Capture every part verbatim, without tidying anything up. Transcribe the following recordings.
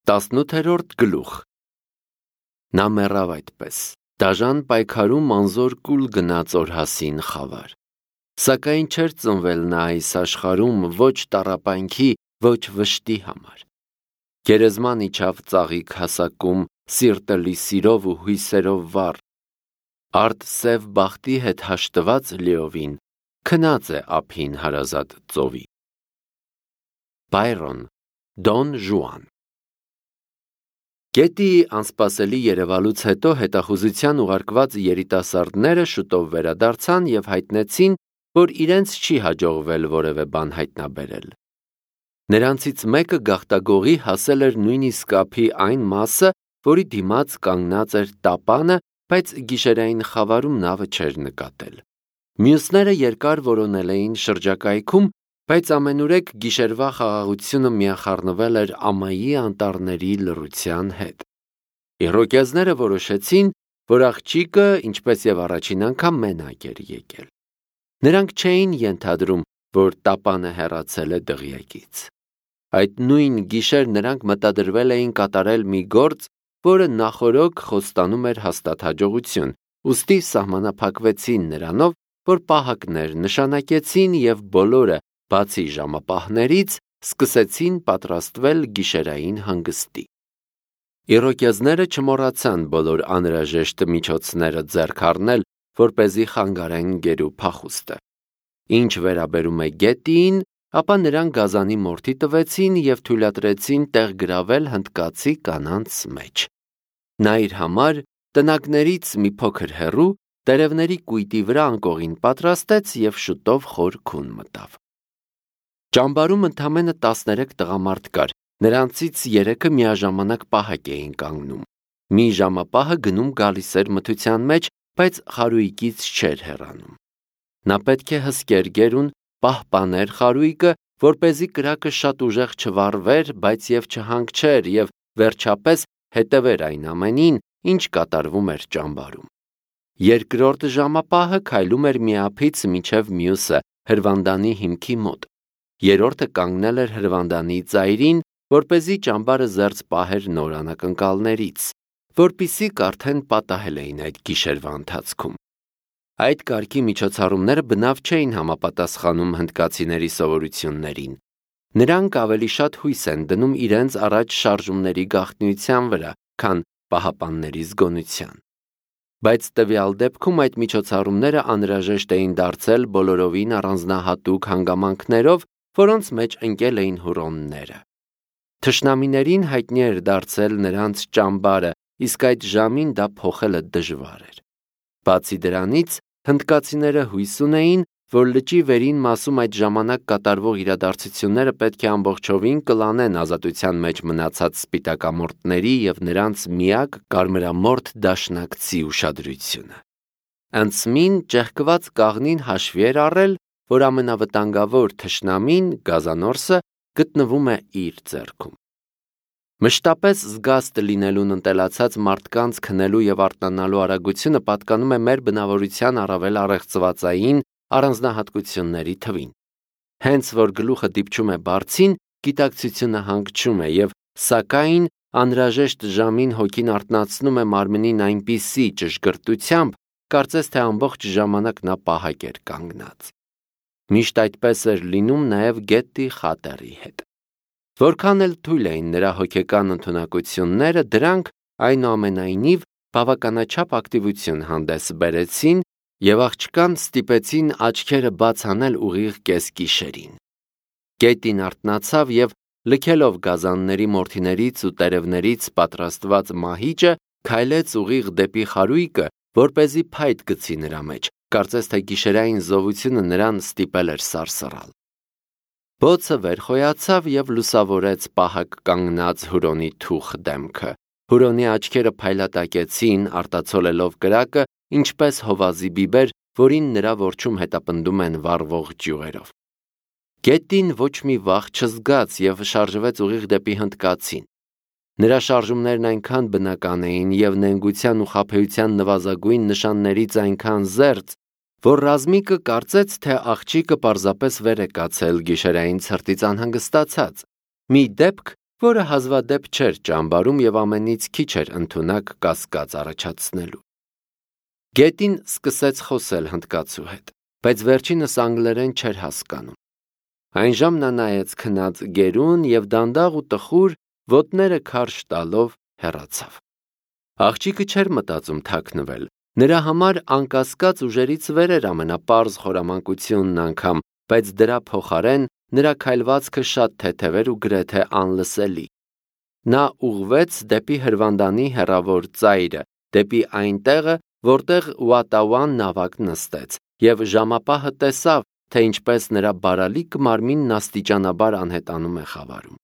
Տասնութերորդ գլուխ։ Նա մեռավ այդպես, դաժան պայքարում անզոր կուլ գնաց օրհասին խավար։ Սակայն չէր ծնվել նա այս աշխարհում ոչ տառապանքի, ոչ վշտի համար։ Գերեզման իջավ ծաղիկ հասակում, սիրտը լի սիրով ու հույսերով վառ։ Արդ սև բախտի հետ հաշտված լիովին, քնած է ափին հարազատ ծովի։ Բայրոն, Դոն Ժուան։ Գետի անսպասելի երևալուց հետո հետախուզության ուղարկված երիտասարդները շուտով վերադարձան և հայտնեցին, որ իրենց չի հաջողվել որևէ բան հայտնաբերել։ Նրանցից մեկը գաղտագողի հասել էր նույնիսկ ափի այն մասը, որի դիմաց կանգնած էր տապանը, բայց գիշերային խավարում նավը չէր նկատել։ Մյուսները երկար որոնել էին շրջակայքում, բայց ամենուրեք գիշերվա խաղաղությունը միախառնվել էր ամայի անտառների լռության հետ։ Իռոկեզները որոշեցին, որ աղջիկը, ինչպես և առաջին անգամ, մենակ էր եկել։ Նրանք չէին ենթադրում, որ տապանը հեռացել է դղյակից։ Այդ նույն գիշեր նրանք մտադրվել էին կատարել մի գործ, որը նախօրոք խոստանում էր հաստատ հաջողություն, ուստի սահմանափակվեցին նրանով, որ պահակներ նշանակեցին և բոլորը, բացի ժամապահներից, սկսեցին պատրաստվել գիշերային հանգստի։ Իռոկեզները չմոռացան բոլոր անհրաժեշտ միջոցները ձեռք առնել, որպեսզի խանգարեն գերու փախուստը։ Ինչ վերաբերում է գետին, ապա նրանք գազանի մորթի տվեցին և թույլատրեցին տեղ գրավել հնդկացի կանանց մեջ։ Նա իր համար տնակներից մի փոքր հեռու տերևների կույտի վրա անկողին պատրաստեց և շուտով խոր քուն մտավ։ Ճամբարում ընդամենը տասներեք տղամարդ կար, նրանցից երեքը միաժամանակ պահակ էին կանգնում։ Մի ժամապահը գնում գալիս էր մթության մեջ, բայց խարույկից չէր հեռանում։ Նա պետք է հսկեր գերուն, պահպաներ խարույկը, որպեսզի կրակը շատ ուժեղ չվառվեր, բայց և չհանգչեր և վերջապես հետևեր այն ամենին, ինչ կատարվում էր ճամբարում։ Երկրորդ ժամապահը քայլում էր մի ափից մինչև մյուսը հրվանդանի հիմքի մոտ։ Երրորդը կանգնել էր հրվանդանի ծայրին, որպեսզի ճամբարը զերծ պահեր նոր անակնկալներից, որպիսի արդեն պատահել էին այդ գիշերվա ընթացքում։ Այդ կարգի միջոցառումները բնավ չէին համապատասխանում հնդկացիների սովորություններին։ Նրանք ավելի շատ հույս են դնում իրենց առաջ շարժումների գաղտնիության վրա, քան պահապանների զգոնության։ Բայց տվյալ դեպքում այդ միջոցառումները անհրաժեշտ էին դարձել բոլորովին առանձնահատուկ հանգամանքներով, որոնց մեջ ընկել էին հուրոնները։ Թշնամիներին հայտնի էր դարձել նրանց ճամբարը, իսկ այդ ժամին դա փոխելը դժվար էր։ Բացի դրանից, հնդկացիները հույս ունեին, որ լճի վերին մասում այդ ժամանակ կատարվող իրադարձությունները պետք է ամբողջովին կլանեն ազատության մեջ մնացած սպիտակամորթների և նրանց միակ կարմրամորթ դաշնակցի ուշադրությունը։ Անցմին ճեղքված կաղնին հաշվի էր առել, որ ամենավտանգավոր թշնամին, գազանորսը, գտնվում է իր ձեռքում։ Մշտապես զգաստ լինելուն ընտելացած մարդկանց քնելու և արթնանալու արագությունը պատկանում է մեր բնավորության առավել առեղծվածային առանձնահատկությունների թվին։ Հենց որ գլուխը դիպչում է բարձին, գիտակցությունը հանգչում է և, սակայն, անհրաժեշտ ժամին հոգին արթնացնում է մարմնին այնպիսի ճշգրտությամբ, կարծես թե ամբողջ ժամանակ նա պահակ էր կանգնած։ Միշտ այդպես էր լինում նաև գետի խատերի հետ։ Որքան էլ թույլ էին նրա հոգեկան ընդունակությունները, դրանք, այնուամենայնիվ, բավականաչափ ակտիվություն հանդես բերեցին և աղջկան ստիպեցին աչքերը բաց անել ուղիղ կեսգիշերին։ Գետին արթնացավ և, լքելով գազանների մորթիներից ու տերևներից պատրաստված մահիճը, քայլեց ուղիղ դեպի խարույկը, որպեսզի փայտ գցի նրա մեջ, կարծես թե գիշերային զովությունը նրան ստիպել էր սարսռալ։ Բոցը վեր խոյացավ և լուսավորեց պահակ կանգնած հուրոնի թուխ դեմքը։ Հուրոնի աչքերը փայլատակեցին, արտացոլելով կրակը, ինչպես հովազի բիբեր, որին նրա որջում հետապնդում են վառվող ճյուղերով։ Գետին ոչ մի վախ չզգաց և շարժվեց ուղիղ դեպի հնդկացին։ Նրա շարժումներն այնքան բնական էին և նենգության ու խաբեության նվազագույն նշաններից այնքան զերծ, որ Ռազմիկը կարծեց, թե աղջիկը պարզապես վեր է կացել գիշերային ցրտից անհանգստացած։ Մի դեպք, որը հազվադեպ չէր ճամբարում եւ ամենից քիչ էր ընդունակ կասկած առաջացնելու։ Գետին սկսեց խոսել հնդկացու հետ, բայց վերջինս անգլերեն չէր հասկանում։ Այն ժամ նա նայեց քնած գերուն եւ դանդաղ ու տխուր ոտները քարշ տալով հեռացավ։ Աղջիկը չէր մտածում թաքնվել, նրա համար անկասկած ուժերից վեր էր ամենապարզ խորամանկությունն անգամ, բայց դրա փոխարեն նրա քայլվածքը շատ թեթև էր ու գրեթե անլսելի։ Նա ուղղվեց դեպի հրվանդանի հեռավոր ծայրը, դեպի այն տեղը, որտեղ Ուատաուան նավակ նստեց, եւ ժամապահը տեսավ, թե ինչպես նրա բարալիկ մարմինն աստիճանաբար անհետանում է խավարում։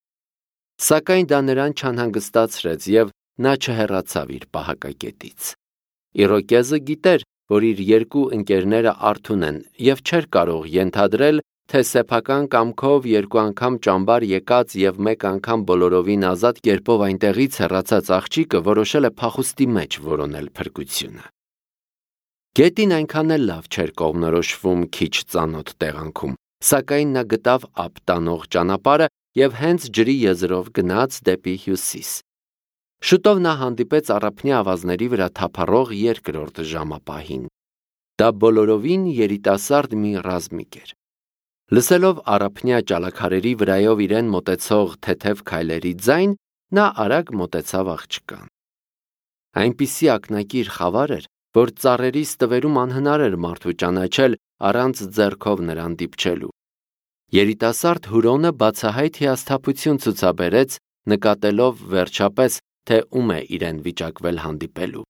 Սակայն դա նրան չանհանգստացրեց եւ նա չհեռացավ իր պահակակետից։ Իրոկեզը գիտեր, որ իր երկու ընկերները արթուն են եւ չէր կարող ենթադրել, թե սեփական կամքով երկու անգամ ճամբար եկած եւ մեկ անգամ բոլորովին ազատ կերպով այնտեղից հեռացած աղջիկը որոշել է փախուստի մեջ որոնել փրկությունը։ Գետին այնքան էլ լավ չէր կողմնորոշվում քիչ ծանոթ տեղանքում, սակայն նա գտավ ափ տանող ճանապարհը եւ հենց ջրի եզրով գնաց դեպի հյուսիս։ Շուտով նա հանդիպեց առափնյա ավազների վրա թափառող երկրորդ ժամապահին։ Դա բոլորովին երիտասարդ մի ռազմիկ էր։ Լսելով առափնյա ճալաքարերի վրայով իրեն մոտեցող թեթև քայլերի ձայն, նա արագ մոտեցավ աղջկան։ Այնպիսի ակնակիր խավար էր, որ ծառերի ստվերում անհնար էր մարդու ճանաչել առանց ձեռքով նրան դիպչելու։ Երիտասարդ Հուրոնը բացահայտ հիասթափություն ցուցաբերեց, նկատելով վերջապես, թե ում է իրեն վիճակվել հանդիպելու։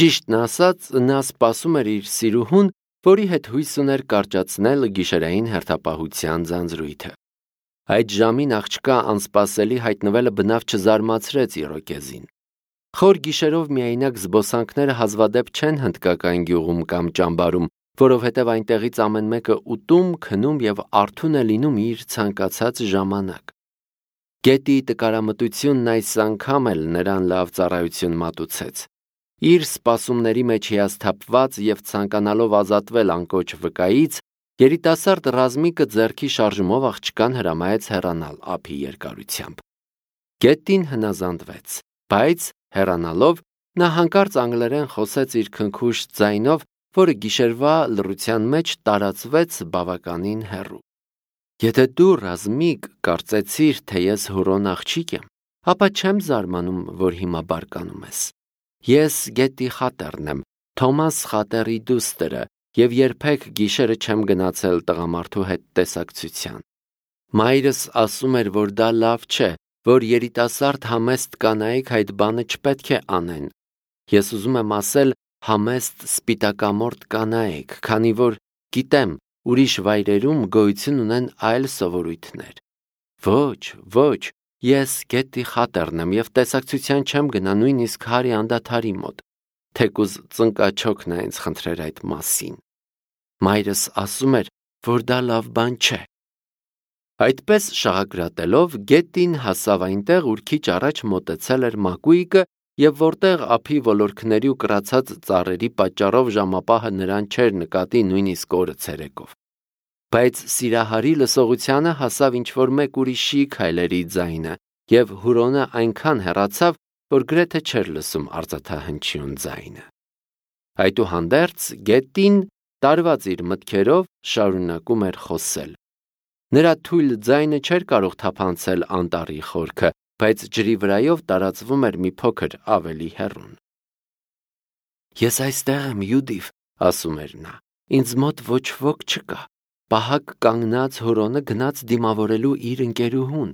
Ճիշտն ասած, նա սպասում էր իր սիրուհուն, որի հետ հույս ուներ կարճացնել գիշերային հերթապահության ձանձրույթը։ Այդ ժամին աղջկա անսպասելի հայտնվելը բնավ չզարմացրեց Իրոկեզին։ Խոր գիշերով միայնակ զբոսանքները հազվադեպ չեն հնդկական գյուղում կամ ճամբարում, որովհետև այնտեղից ամեն մեկը ուտում, քնում եւ արթուն է լինում իր ցանկացած ժամանակ։ Գետի տկարամտությունն այս անգամ էլ նրան լավ ծառայություն մատուցեց։ Իր սպասումների մեջ հիասթափված եւ ցանկանալով ազատվել անկոչ վկայից, երիտասարդ ռազմիկը ձեռքի շարժումով աղջկան հրամայեց հեռանալ ափի երկարությամբ։ Գետին հնազանդվեց, բայց հեռանալով նա հանկարծ անգլերեն խոսեց իր քնքուշ ձայնով, որը գիշերվա լռության մեջ տարածվեց բավականին հեռու։ Եթե դու ռազմիկ կարծեցիր, թե ես Հուրոն աղջիկ եմ, ապա չեմ զարմանում, որ հիմա բարկանում ես։ Ես Գետի Խատերն եմ, Թոմաս Խատերի դուստրը, եւ երբեք գիշերը չեմ գնացել տղամարդու հետ տեսակցության։ Մայրս ասում էր, որ դա լավ չէ, որ երիտասարդ համեստ կանայք այդ բանը չպետք է անեն։ Ես ուզում եմ ասել համեստ սպիտակամորթ կանայք, քանի որ գիտեմ, ուրիշ վայրերում գոյություն ունեն այլ սովորույթներ։ Ոչ, ոչ, ես Գետի Խատերն եմ եւ տեսակցության չեմ գնա նույնիսկ Հարի անդադարի մոտ, թեկուզ ծնկաչոքն է ինձ խնդրեր այդ մասին։ Մայրս ասում էր, որ դա լավ բան չէ։ Այդպես շաղակրատելով Գետին հասավ այնտեղ, ուր քիչ առաջ մոտեցել էր մակույկը եւ որտեղ ափի ոլորքների ու կրացած ծառերի պատճառով ժամապահը նրան չէր նկատի նույնիսկ օրը ցերեկով։ Բայց Սիրահարի լսողությանը հասավ ինչ-որ մեկ ուրիշի քայլերի ձայնը, եւ Հուրոնը այնքան հեռացավ, որ գրեթե չէր լսում արծաթահնչյուն ձայնը։ Այդուհանդերձ Գետին, տարված իր մտքերով, շարունակում էր խոսել։ Նրա թույլ ձայնը չէր կարող թափանցել անտառի խորքը, բայց ջրի վրայով տարածվում էր մի փոքր ավելի հեռուն։ Ես այստեղ եմ, Յուդիվ, ասում էր նա, ինձ մոտ ոչ ոք չկա։ Պահակ կանգնած Հուրոնը գնաց դիմավորելու իր ընկերուհուն։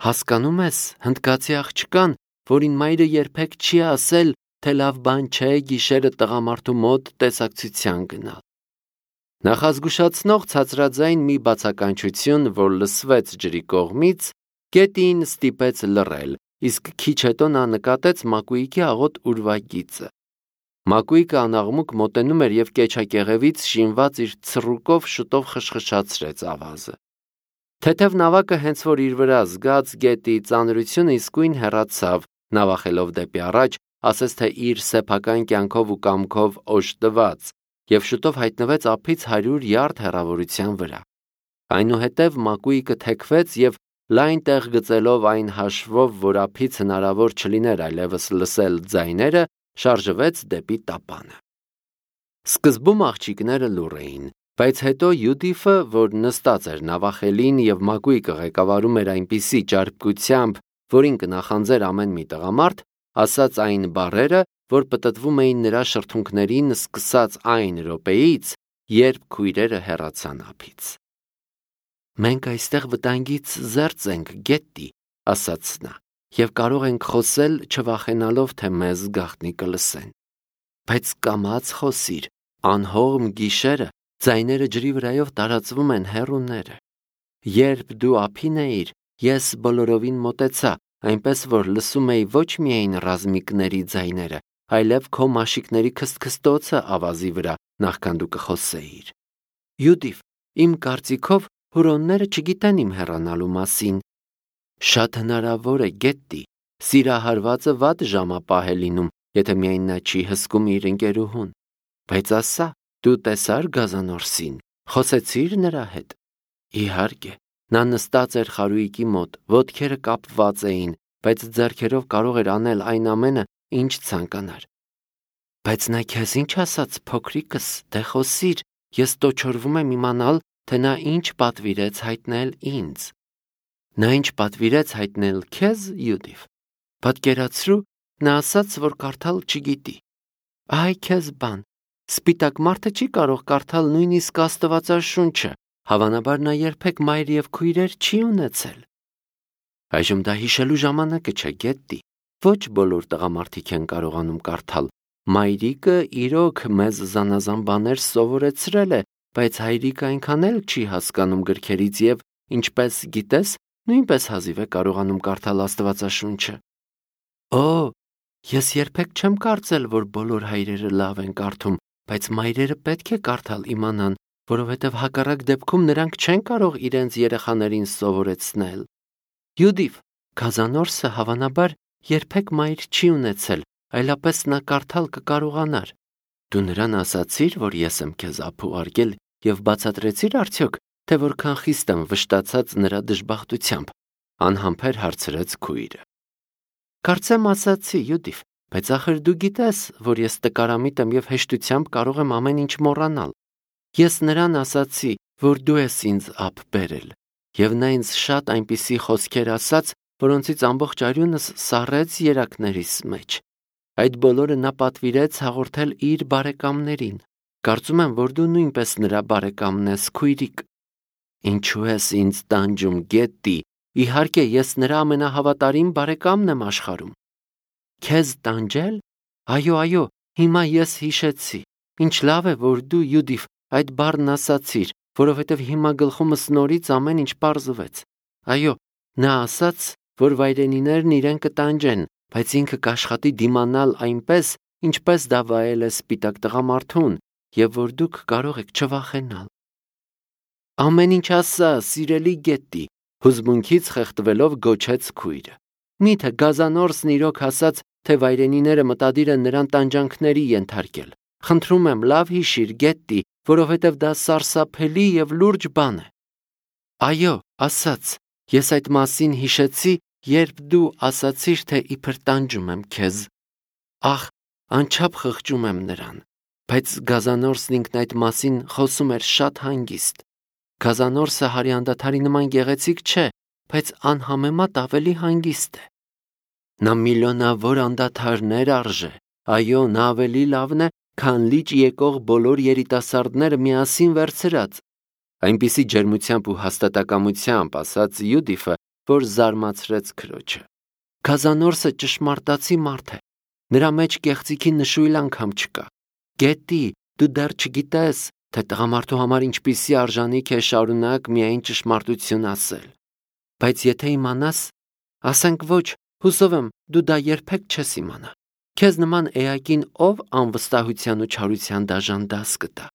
Հասկանում ես, հնդկացի աղջկան, որին մայրը երբեք չի ասել, թե լավ բան չէ գիշերը տղամարդու մոտ տեսակցության գնալ։ Նախազգուշացնող ցածրաձայն մի բացականչություն, որ լսվեց ջրի կողմից, Գետին ստիպեց լռել, իսկ քիչ հետո նա նկատեց մակույկի աղոտ ուրվագիծը։ Մակույկը անաղմուկ մոտենում էր եւ կեչակեղևից շինված իր ցռուկով շուտով խշխշացրեց ավազը։ Թեթև նավակը հենց որ իր վրա զգաց Գետի ծանրությունը իսկույն հեռացավ, նավախելով դեպի առաջ, ասես թե իր սեփական կյանքով ու կամքով օժտված, եւ շուտով հայտնվեց ափից հարյուր յարդ հեռավորության վրա։ Այնուհետև մակույկը թեքվեց եւ լայն տեղ գծելով այն հաշվով, որ ափից հնարավոր չլիներ այլևս լսել ձայները, շարժվեց դեպի տապանը։ Սկզբում աղջիկները լուռ էին, բայց հետո Յուդիֆը, որ նստած էր նավախելին եւ մակույկը ղեկավարում էր այնպիսի ճարպկությամբ, որին կնախանձեր ամեն մի տղամարդ, ասաց այն բառերը, որ պտտվում էին նրա շրթունքներին սկսած այն րոպեից, երբ քույրերը հեռացան ափից։ Մենք այստեղ վտանգից զերծ ենք, Գետտի, ասաց նա, եւ կարող ենք խոսել չվախենալով, թե մեզ գաղտնի կլսեն։ Բայց կամաց խոսիր, անհողմ գիշերը ձայները ջրի վրայով տարածվում են հեռուները։ Երբ դու ափին էիր, ես բոլորովին մոտեցա, այնպես որ լսում էի ոչ միայն ռազմիկների ձայները, այլև քո մաշիկների քստքստոցը ավազի վրա, նախքան դու կխոսեիր։ Յուդիֆ, իմ կարծիքով հուրոնները չգիտեն իմ հեռանալու մասին։ Շատ հնարավոր է, Գետտի, սիրահարվածը վատ ժամապահ է լինում, եթե միայն նա չի հսկում իր ընկերուհուն։ Բայց ասա, դու տեսար գազանորսին, խոսեցիր նրա հետ։ Իհարկե, նա նստած էր խարույկի մոտ, ոտքերը կապված էին, բայց ձեռքերով կարող էր անել այն ամենը, ինչ ցանկանար։ Բայց նա քեզ ինչ ասաց, փոքրիկս, դե խոսիր, ես տոչորվում եմ իմանալ, թե նա ինչ պատվիրեց հայտնել ինձ։ Նա ինչ պատվիրեց հայտնել քեզ, Յուդիֆ։ Պատկերացրու, նա ասաց, որ կարդալ չգիտի։ Այ քեզ բան, սպիտակ մարդը չի կարող կարդալ նույնիսկ Աստվածաշունչը, հավանաբար նա երբեք մայր եւ քույրեր չի ունեցել։ Այժմ դա հիշելու ժամանակը չէ, Գետտի։ Ոչ բոլոր տղամարդիկ են կարողանում կարդալ։ Մայրիկը իրոք մեզ զանազան բաներ սովորեցրել է, բայց հայրիկը այնքան էլ չի հասկանում գրքերից եւ, ինչպես գիտես, նույնպես հազիվ է կարողանում կարդալ Աստվածաշունչը։ Օ, ես երբեք չեմ կարծել, որ բոլոր հայրերը լավ են կարդում, բայց մայրերը պետք է կարդալ իմանան, որովհետև հակառակ դեպքում նրանք չեն կարող իրենց երեխաներին սովորեցնել։ Յուդիֆ, գազանորսը հավանաբար երբեք մայր չի ունեցել, այլապես նա կարդալ կկարողանար։ Դու նրան ասացիր, որ ես եմ քեզ ափ ուղարկել եւ բացատրեցիր արդյոք, թե որքան խիստ եմ վշտացած նրա դժբախտությամբ, անհամբեր հարցրեց քույրը։ Կարծեմ ասացի, Յուդիֆ, բայց ախր դու գիտես, որ ես տկարամիտ եմ եւ հեշտությամբ կարող եմ ամեն ինչ մոռանալ։ Ես նրան ասացի, որ դու ես ինձ ափ բերել, եւ նա ինձ շատ այնպիսի խոսքեր ասաց, որոնցից ամբողջ արյունս սառեց երակներիս մեջ։ Այդ բոլորը նա պատվիրեց հաղորդել իր բարեկամներին։ Կարծում եմ, որ դու նույնպես նրա բարեկամն ես, քույրիկ։ Ինչու ես ինձ տանջում, Գետտի։ Իհարկե, ես նրա ամենահավատարիմ բարեկամն եմ աշխարհում։ Քեզ տանջել։ Այո, այո, հիմա ես հիշեցի։ Ինչ լավ է, որ դու, Յուդիֆ, այդ բառն ասացիր, որովհետև հիմա գլխումս նորից ամեն ինչ պարզվեց։ Այո, նա ասաց, որ վայրենիներն իրեն կտանջեն, բայց ինքը կաշխատի դիմանալ այնպես, ինչպես դա վայել է սպիտակ տղամարդուն, եւ որ դուք կարող եք չվախենալ։ Ամեն ինչ ասա, սիրելի Գետտի, հուզմունքից խեղդվելով գոչեց քույրը։ Միթե գազանորսն իրոք ասաց, թե վայրենիները մտադիր են նրան տանջանքների ենթարկել։ Խնդրում եմ, լավ հիշիր, Գետտի, որովհետև դա սարսափելի եւ լուրջ բան է։ Այո, ասաց, ես այդ մասին հիշեցի, երբ դու ասացիր, թե իբր տանջում եմ քեզ։ Ախ, անչափ խղճում եմ նրան, բայց գազանորսն ինքն այդ մասին խոսում էր շատ հանգիստ։ Գազանորսը հարյանդաթարի նման գեղեցիկ չէ, բայց անհամեմատ ավելի հանգիստ է։ Նա միլիոնավոր անդադարներ արժե, այո, նա ավելի լավն է, քան լիճ եկող բոլոր երիտասարդները միասին վերցրած։ Այնպիսի ջերմությամբ ու հաստատակամությամբ ասաց Յուդիֆը, որ զարմացրեց քրոջը։ Գազանորսը ճշմարտացի մարդ է, նրա մեջ կեղծիքի նշույլ անգամ չկա։ Գետտի, դու դեռ չգիտես, թե տղամարդու համար ինչպիսի արժանիք է շարունակ միայն ճշմարտություն ասել։ Բայց եթե իմանաս, ասենք ոչ, հուսով եմ, դու դա երբեք չես իմանա։ Քեզ նման էակին ով անվստահության ու չարության դաժան դաս կտա։